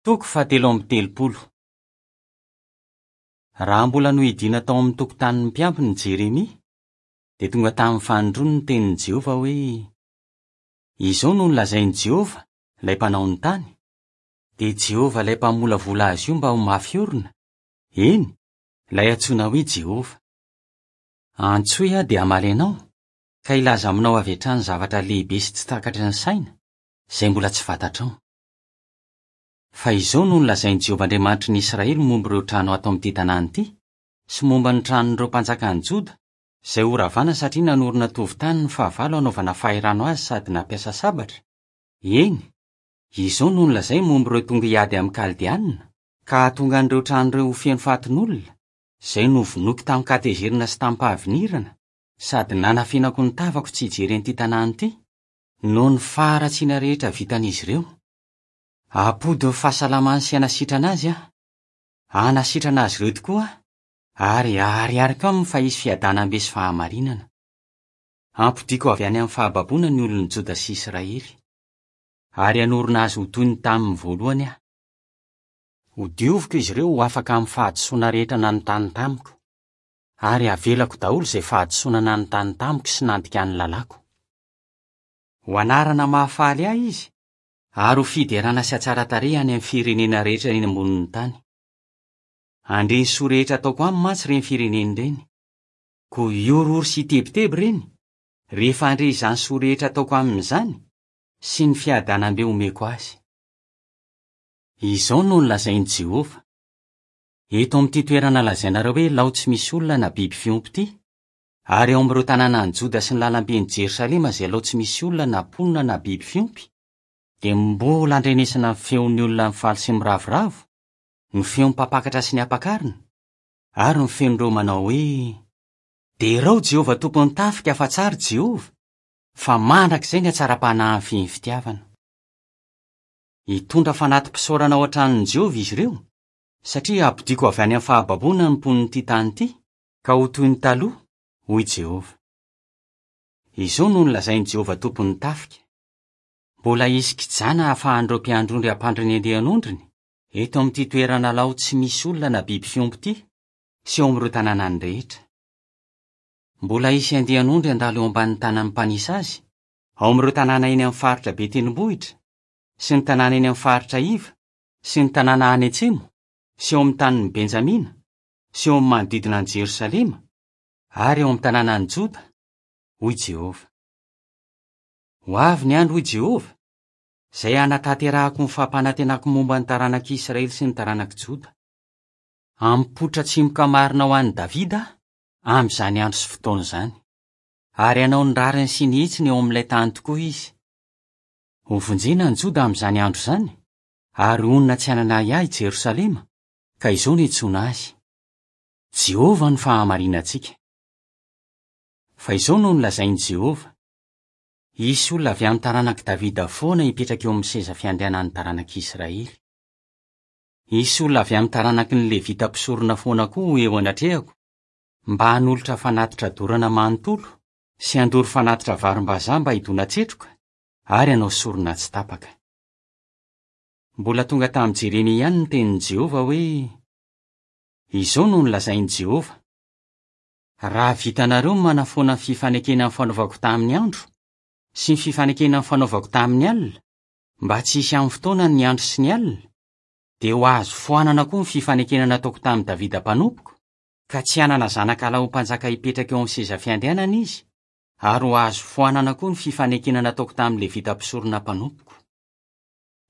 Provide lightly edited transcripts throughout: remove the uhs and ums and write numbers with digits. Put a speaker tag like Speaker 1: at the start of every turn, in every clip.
Speaker 1: Toko fahatelo amby telopolo. Raha mbola nohidiana tao amin'ny tokotanin'ny mpiambina i Jeremia, dia tonga tamin'ny fanindroany ny tenin'i Jehovah hoe, Izao no nolazain'i Jehovah, ilay Mpanao ny tany, dia Jehovah ilay Mpamolavola azy io mba ho mafy orina, eny, ilay antsoina hoe Jehovah. Antsoy aho dia hamaly anao, ka hilaza aminao avy hatrany zavatra lehibe sy tsy takatry ny saina, izay mbola tsy fantatrao. Fa izao no nolazain'i Jehovah Andriamanitry ny Israely momba ireo trano ato amin'ity tanàna ity, sy momba ny tranon'ireo mpanjakan'i Joda, izay horavana satria nanorina tovon-tany ny fahavalo hanaovana fahirano azy sady nampiasa sabatra, eny, izao no nolazainy momba ireo tonga hiady amin'ny Kaldeanina, ka hahatonga an'ireo trano ireo ho feno fatin'olona, izay novonoiko tamin-katezerana sy tamim-pahavinirana, sady nanafenako ny tavako tsy hijery an'ity tanàna ity, noho ny faharatsiana rehetra vitan'izy ireo. Hampody ny fahasalamany sy hanasitrana azy aho. Hanasitrana azy ireo tokoa aho, ary haharihariko aminy fa hisy fiadanam-be sy fahamarinana. Hampodiako avy any amin'ny fahababoana ny olon'i Joda sy Israely. Ary hanorina azy ho toy ny tamin'ny voalohany aho. Hodioviko izy ireo ho afaka amin'ny fahadisoana rehetra nanontany tamiko. Ary havelako daholo izay fahadisoana nanontany tamiko sy nandika ny lalàko. Ho anarana mahafaly ahy izy, ary ho fiderana sy hatsaran-tarehy any amin'ny firenena rehetra eny ambonin'ny tany. Handre ny soa rehetra ataoko aminy mantsy ireny firenena ireny. Koa hihorohoro sy hitebiteby ireny, rehefa handre izany soa rehetra ataoko aminy izany, sy ny fiadanam-be omeko azy. Izao no nolazain'i Jehovah, Eto amin'ity toerana lazainareo hoe lao tsy misy olona na biby fiompy ity, ary ao amin'ireo tanànan'i Joda sy ny lalamben'i Jerosalema izay lao tsy misy olona na mponina na biby fiompy, dia mbola andrenesana ny feon'ny olona mifaly sy miravoravo, ny feon'ny mpampakatra sy ny ampakarina, ary ny feon'ireo manao hoe, Derao Jehovah Tompon'ny tafika fa tsara Jehovah, fa mandrakizay ny hatsaram-panahiny feno fitiavana. Hitondra fanati-pisaorana ao an-tranon'i Jehovah izy ireo, satria hampodiako avy any amin'ny fahababoana ny mponin'ity tany ity, ka ho toy ny taloha, hoy Jehovah. Izao no nolazain'i Jehovah Tompon'ny tafika, Mbola hisy kijana hahafahan'ireo mpiandry ondry hampandry ny andian'ondriny, eto amin'ity toerana lao tsy misy olona na biby fiompy ity, sy eo amin'ireo tanànany rehetra. Mbola hisy andian'ondry handalo eo ambanin'ny tanan'ny mpanisa azy, ao amin'ireo tanàna eny amin'ny faritra be tendrombohitra, sy ny tanàna eny amin'ny faritra iva, sy ny tanàna any atsimo, sy eo amin'ny tanin'i Benjamina, sy eo amin'ny manodidina an'i Jerosalema, ary eo amin'ny tanànan'i Joda, hoy Jehovah. Ho avy ny andro, hoy Jehovah, izay hanatanterahako ny fampanantenako momba ny taranak'i Israely sy ny taranak'i Joda. Hampipoitra tsimoka marina ho an'i Davida aho amin'izany andro sy fotoana izany, ary hanao ny rariny sy ny hitsiny eo amin'ilay tany tokoa izy. Hovonjena ny Joda amin'izany andro izany, ary honina tsy hanana ahiahy i Jerosalema, ka izao no iantsoana azy, Jehovah no fahamarinantsika. Fa izao no nolazain'i Jehovah, Hisy olona avy amin'ny taranak'i Davida foana hipetraka eo amin'ny seza fiandrianan'ny taranak'Israely. Hisy olona avy amin'ny taranaky ny Levita mpisorona foana koa ho eo anatrehako, mba hanolotra fanatitra dorana manontolo sy handoro fanatitra varimbazaha mba hidona-tsetroka ary hanao sorona tsy tapaka. Mbola tonga tamin'i Jeremia ihany ny tenin'i Jehovah hoe, Izao no nolazain'i Jehovah, Raha vitanareo ny manafoana ny fifanekena nifanaovako tamin'ny andro, sy ny fifanekena nifanaovako tamin'ny alina, mba tsy hisy amin'ny fotoanany ny andro sy ny alina, dia ho azo foanana koa ny fifanekena nataoko tamin'i Davida mpanompoko, ka tsy hanana zanakalahy ho mpanjaka hipetraka eo amin'ny seza fiandrianana izy, ary ho azo foanana koa ny fifanekena nataoko tamin'ny Levita mpisorona mpanompoko.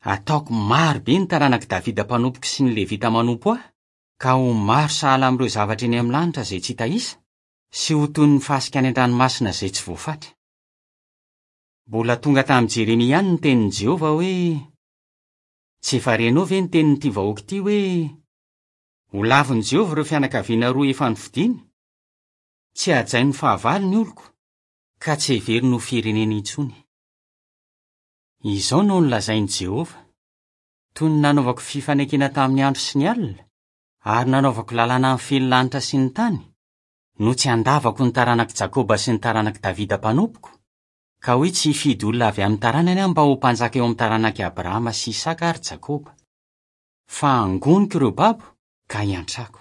Speaker 1: Hataoko maro be ny taranak'i Davida mpanompoko sy ny Levita manompo ahy, ka ho maro sahala amin'ireo zavatra eny amin'ny lanitra izay tsy hita isa, sy ho toy ny fasika any an-dranomasina izay tsy voafatra. Mbola tonga tamin'i Jeremia ihany ny tenin'i Jehovah hoe, Tsy efa renao ve ny tenin'ity vahoaka ity hoe, 'Holavin'i Jehovah ireo fianakaviana roa efa nofidiny'? Tsy hajain'ny fahavalo ny oloko, ka tsy heveriny ho firenena intsony. Izao no nolazain'i Jehovah, Toy ny nanaovako fifanekena tamin'ny andro sy ny alina, ary nanaovako lalàna mifehy ny lanitra sy ny tany, no tsy handavako ny taranak'i Jakoba sy ny taranak'i Davida mpanompoko, ka hoe tsy hifidy olona avy amin'ny taranany aho mba ho mpanjaka eo amin'ny taranak'i Abrahama sy Isaka ary Jakoba. Fa hangoniko ireo babo ka hiantrako.